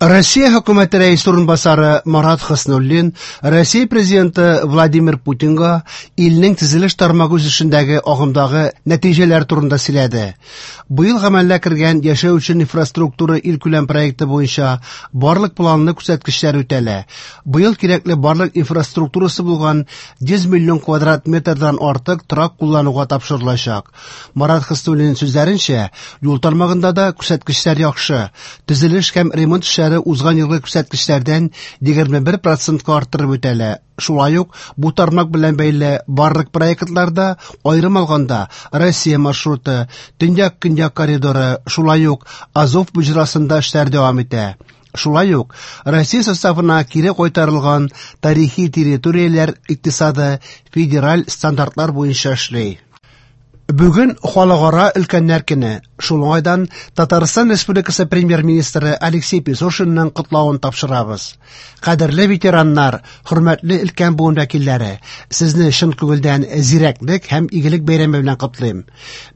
Россия хөкүмәте рәисе урынбасары Марат Хөснуллин Россия президенты Владимир Путинга илнең төзелеш тармагы үсешендәге агымдагы нәтиҗәләр турында сөйләде. Быел гамәлгә кергән Яшәү өчен инфраструктура илкүләм проекты буенча барлык планлы күрсәткечләр үтәлә. Быел кирәкле барлык инфраструктурасы булган 100 миллион квадрат метрдан артык торак куллануга тапшырылачак. Марат Хөснуллин сүзләренчә, юл тармагында да күрсәткечләр яхшы. Төзелеш һәм ремонт эшләре узган елгы күрсәткечләрдән 21 процентка арттырып үтәлә. Шулай ук бу тармак белән бәйле барлык проектларда, аерым алганда, Россия маршруты, Төньяк-Көньяк коридоры, шулай ук Азов боҗрасында эшләр дәвам итә. Шулай ук Россия составына кире кайтарылган тарихи территорияләр икътисады федераль стандартлар буенча эшли. Бүген Халыкара өлкәннәр көне. Шул уңайдан Татарстан Республикасы Премьер-министры Алексей Песошинның котлавын тапшырабыз. Кадерле ветераннар, хөрмәтле өлкән буын вәкилләре, сезне чын күңелдән зирәклек һәм игелек бәйрәме белән котлыйм.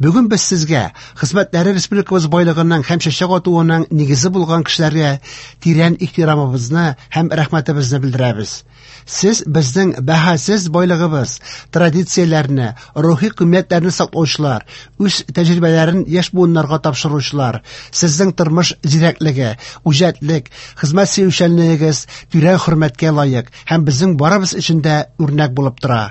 Бүген без сезгә, хезмәтләре республикабыз байлыгының һәм чәчәк атуының нигезе булган кешеләргә тирән ихтирамыбызны һәм рәхмәтебезне белдерәбез. Сез безнең бәһасез байлыгыбыз, традицияләрне, рухи кыйммәтләрне саклаучылар, үз тәҗрибәләрен яшь буыннарга тапшыручылар. Сезнең тормыш зирәклеге, үҗәтлек, хезмәт сөючәнлегегез тирән хөрмәткә лаек һәм безнең барыбыз өчен дә үрнәк булып тора.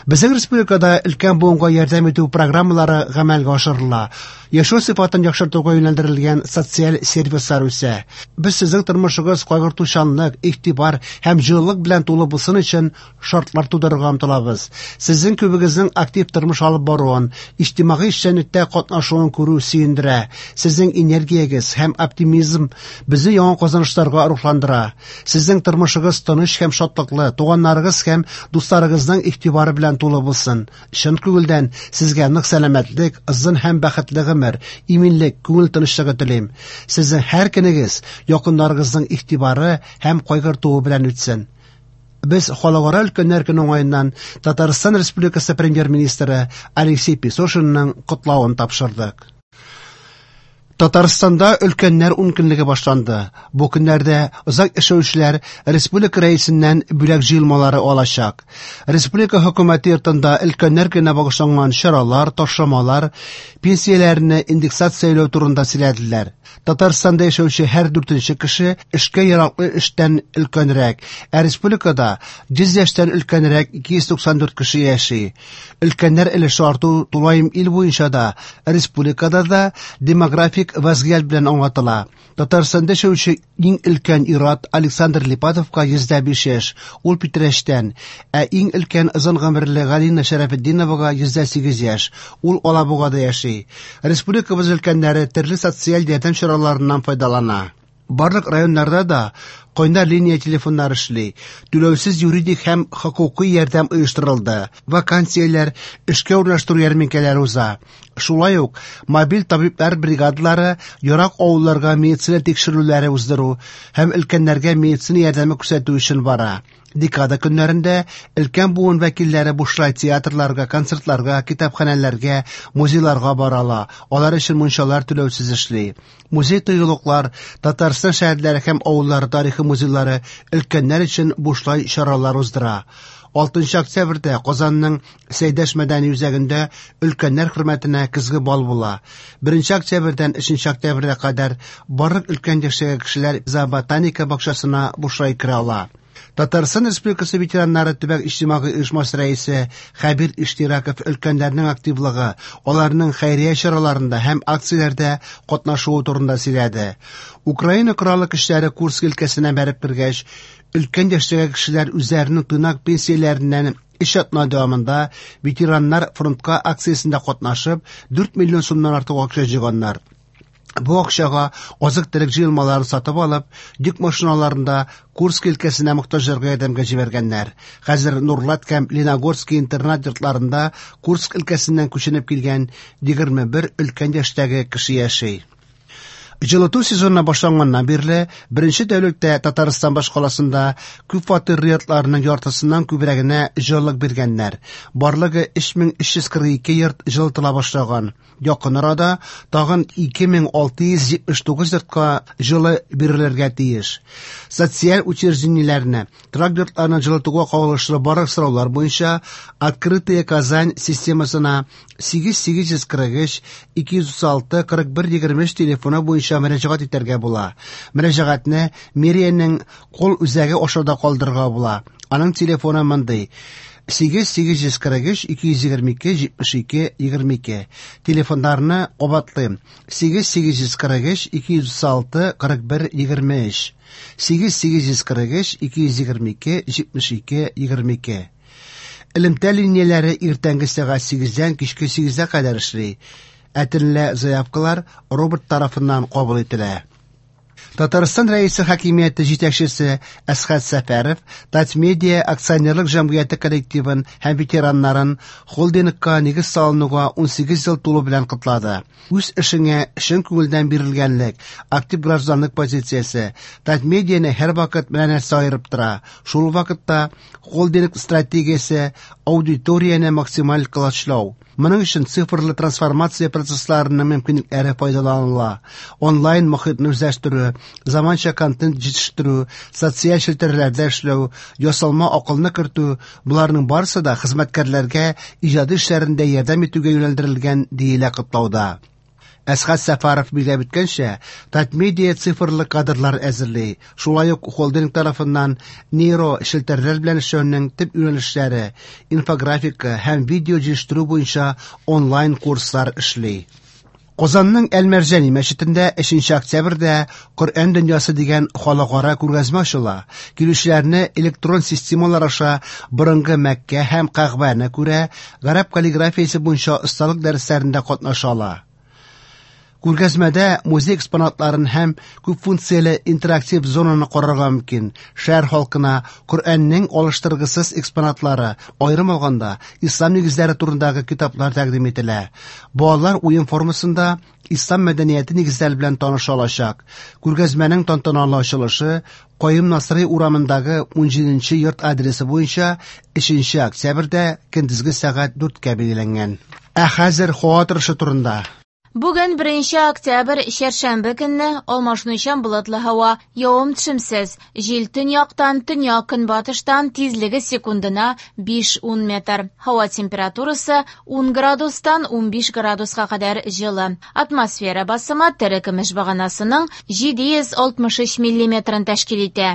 Безнең республикада өлкән буынга ярдәм итү программалары гамәлгә ашырыла. Яшәү сыйфатын яхшыртуга юнәлдерелгән социаль сервислар үсә. Без сезнең тормышыгыз кайгыртучанлык, игътибар һәм җылылык белән тулы булсын өчен шартлар тудырырга омтылабыз. Сезнең күбегезнең актив тормыш алып баруын, иҗтимагый эшчәнлектә катнашуын күрү сөендерә. Сезнең энергиягез һәм оптимизм безне яңа казанышларга рухландыра. Сезнең тормышыгыз тыныч һәм шатлыклы, туганнарыгыз һәм дусларыгызның игътибары белән тулы булсын. Чын күңелдән сезгә нык сәламәтлек, озын һәм бәхетле гомер, иминлек, күңел тынычлыгы телим. Сезнең һәр көнегез якыннарыгызның игътибары һәм кайгыртуы белән үтсен. Без Халыкара өлкәннәр көне уңаеннан Татарстан Республикасы Премьер-министры Алексей Песошинның котлавын тапшырдык. Татарстанда өлкәннәр ункөнлеге башланды. Бу көннәрдә озак яшәүчеләр республика рәисеннән бүләк җыелмалары алачак. Республика хөкүмәте йортында өлкәннәр көненә багышланган чаралар, ташламалар, пенсияләрне индексацияләү турында сөйләделәр. Татарстанда яшәүче һәр дүртенче кеше эшкә яраклы эштән өлкәнрәк, ә республикада 100 яшьтән өлкәнрәк 294 кеше яши. Өлкәннәр өлеше арту тулаем ил буенча да, республикада да демографик вазгыять белән аңлатыла. Татарстанда яшәүче иң өлкән ир-ат Александр Липатовка 105 яшь, ул Питрәчтән, ә иң өлкән озын гомерле Галина Шәрәфетдиновага 108 яшь, ул Алабугада яши. Республикабыз өлкәннәре төрле социаль ярдәм чараларыннан файдалана. Барлык районнарда да кайнар линия телефоннары эшли, түләүсез юридик һәм хокукый ярдәм оештырылды, вакансияләр, эшкә урнаштыру ярминкәләре уза. Шулай ук мобиль табиблар бригадалары ерак авылларга медицина тикшерүләре уздыру һәм өлкәннәргә медицина ярдәме күрсәтү өчен бара. Декада көннәрендә өлкән буын вәкилләре бушлай театрларга, концертларга, китапханәләргә, музейларга бара ала. Алар өчен мунчалар түләүсез эшли. Музей-тыюлыклар, Татарстан шәһәрләре һәм авыллары тарихы музейлары өлкәннәр өчен бушлай чаралар уздыра. 6 октябрьдә Казанның Сәйдәш мәдәни үзәгендә өлкәннәр хөрмәтенә көзге бал була. 1 октябрьдән 3 октябрьгә кадәр барлык өлкән яшьтәге кешеләр зооботаника бакчасына бушлай керә ала. Татарстан Республикасы ветераннары төбәк иҗтимагый оешмасы рәисе Хәбир Иштирәков өлкәннәрнең активлыгы, аларның хәйрия чараларында һәм акцияләрдә катнашуы турында сөйләде. Украина Кораллы көчләре Курск өлкәсенә бәреп кергәч, өлкән яшьтәге кешеләр үзләренең тыйнак пенсияләреннән өч атна дәвамында ветераннар фронтка акциясендә катнашып, 4 миллион сумнан артык акча җыйганнар. Бу акчага азык-төлек җыелмаларын сатып алып, йөк машиналарында Курск өлкәсенә мохтаҗларга ярдәмгә җибәргәннәр. Хәзер Нурлат һәм Леногорский интернат йортларында Курск өлкәсеннән күченеп килгән 21 өлкән яшьтәге кеше яши. Җылыту сезоны башланганнан бирле беренче тәүлектә Татарстан башкаласында күп фатирлы йортларның яртысыннан күбрәгенә җылылык биргәннәр. Барлыгы 3342 йорт җылытыла башлаган. Якын арада тагын 2679 йортка җылы бирелергә тиеш. Социаль учреждениеләрне, торак йортларны җылытуга кагылышлы барлык сораулар буенча «Открытая Казань» системасына 8843 236 41 23 телефоны буенча мөрәҗәгать итәргә була. Мөрәҗәгатьне мэриянең кол үзәге аша да калдырырга була. Аның телефоны мондый: 8843 222 72 22. Телефоннарны кабатлыйм: 8843 236 41 23. 8843 222 72 22. Элемтә линияләре иртәнге сәгать 8-дән кичке 8-гә кадәр эшли. Ә төнлә заявкалар робот тарафыннан кабул ителә. Татарстан Рәисе хакимияте җитәкчесе Әсхәт Сәфәров Татмедиа акционерлык җәмгыяте коллективын һәм ветераннарын холдингка нигез салынуга 18 ел тулу белән котлады. Үз эшеңә чын күңелдән бирелгәнлек, актив гражданлык позициясе Татмедианы һәрвакыт менә нәрсә аерып тора. Шул вакытта холдинг стратегиясе аудиторияне максималь колачлау. Моның өчен цифрлы трансформация процессларының мөмкинлекләре файдаланыла. Онлайн мохитне үзләштерү, заманча контент җитештерү, социаль челтәрләрдә эшләү, ясалма акылны кертү – боларның барысы да хезмәткәрләргә иҗади эшләрендә ярдәм итүгә юнәлдерелгән, диелә котлауда. Әсхәт Сәфәров билгеләп үткәнчә, Татмедиа цифрлы кадрлар әзерли. Шулай ук холдинг тарафыннан нейро челтәрләр белән эшләүнең төп юнәлешләре, инфографика һәм видео җитештерү буенча онлайн курслар эшли. Казанның Әл-Мәрҗани мәчетендә 3 октябрьдә Коръән дөньясы дигән халыкара күргәзмә ачыла. Килүчеләрне электрон системалар аша борынгы Мәккә һәм Кәгъбәне күрә, гарәп каллиграфиясе буенча осталык дәресләрендә катнаша ала. Күргәзмәдә музей экспонатларын һәм күп функцияле интерактив зонаны карарга мөмкин. Шәһәр халкына Коръәннең алыштыргысыз экспонатлары, аерым алганда, ислам нигезләре турындагы китаплар тәкъдим ителә. Балалар уен формасында ислам мәдәнияте нигезләре белән таныша алачак. Күргәзмәнең тантаналы ачылышы Каюм Насыйри урамындагы 17 йорт адресы буенча 3 октябрьдә көндезге сәгать 4-кә билгеләнгән. Ә хәзер һава торышы турында. Бүген 1 октябрь, чәршәмбе көнне алмашынучан болытлы һава, явым-төшемсез. Җил төньяктан, төньяк-көнбатыштан тизлеге секундына 5-10 метр. Һава температурасы 10 градустан 15 градуска кадәр җылы. Атмосфера басымы терекөмеш баганасының 763 миллиметрын тәшкил итә.